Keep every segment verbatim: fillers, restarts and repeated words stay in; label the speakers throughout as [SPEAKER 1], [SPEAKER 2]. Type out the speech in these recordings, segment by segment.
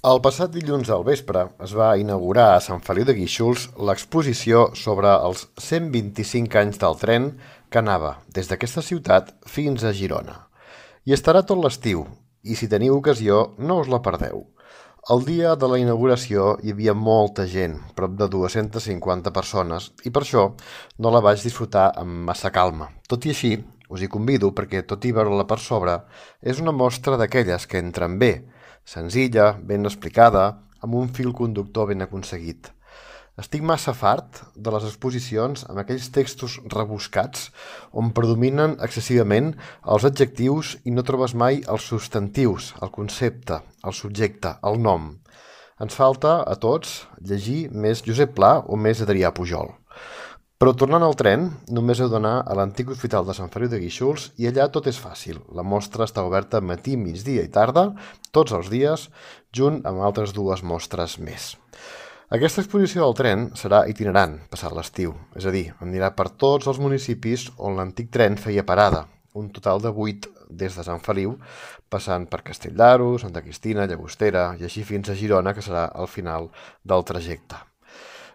[SPEAKER 1] El passat dilluns al vespre es va inaugurar a Sant Feliu de Guíxols l'exposició sobre els cent vint-i-cinc anys del tren que anava des d'aquesta ciutat fins a Girona. I estarà tot l'estiu, i si teniu ocasió no us la perdeu. El dia de la inauguració hi havia molta gent, prop de dues-centes cinquanta persones, i per això no la vaig disfrutar amb massa calma. Tot i així, us hi convido perquè, tot i veure-la per sobre, és una mostra d'aquelles que entren bé, senzilla, ben explicada, amb un fil conductor ben aconseguit. Estic massa fart de les exposicions amb aquells textos rebuscats on predominen excessivament els adjectius i no trobes mai els substantius, el concepte, el subjecte, el nom. Ens falta, a tots, llegir més Josep Pla o més Adrià Pujol. Però tornant al tren, només heu d'anar a l'antic hospital de Sant Feliu de Guíxols i allà tot és fàcil. La mostra està oberta matí, migdia i tarda, tots els dies, junt amb altres dues mostres més. Aquesta exposició del tren serà itinerant, passat l'estiu, és a dir, anirà per tots els municipis on l'antic tren feia parada, un total de vuit des de Sant Feliu, passant per Castell d'Aro, Santa Cristina, Llagostera i així fins a Girona, que serà el final del trajecte.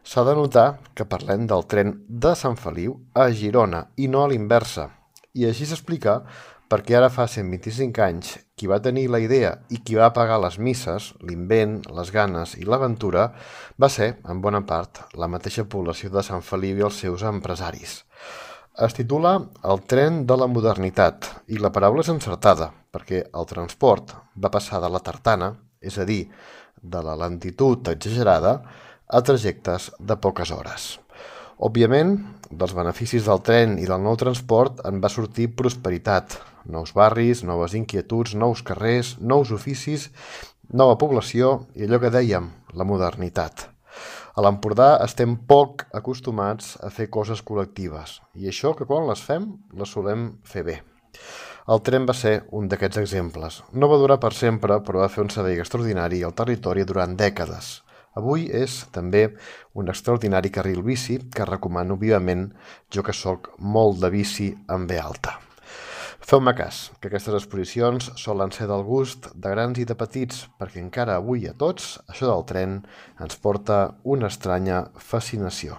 [SPEAKER 1] S'ha de notar que parlem del tren de Sant Feliu a Girona i no a l'inversa, i així s'explica perquè ara fa cent vint-i-cinc anys qui va tenir la idea i qui va pagar les misses, l'invent, les ganes i l'aventura, va ser, en bona part, la mateixa població de Sant Feliu i els seus empresaris. Es titula El tren de la modernitat i la paraula és encertada perquè el transport va passar de la tartana, és a dir, de la lentitud exagerada, a trajectes de poques hores. Òbviament, dels beneficis del tren i del nou transport en va sortir prosperitat, nous barris, noves inquietuds, nous carrers, nous oficis, nova població i allò que dèiem, la modernitat. A l'Empordà estem poc acostumats a fer coses col·lectives i això que quan les fem, les solem fer bé. El tren va ser un d'aquests exemples. No va durar per sempre, però va fer un servei extraordinari al territori durant dècades. Avui és també un extraordinari carril bici que recomano vivament, jo que sóc molt de bici en ve alta. Feu-me cas, que aquestes exposicions solen ser del gust de grans i de petits, perquè encara avui a tots això del tren ens porta una estranya fascinació.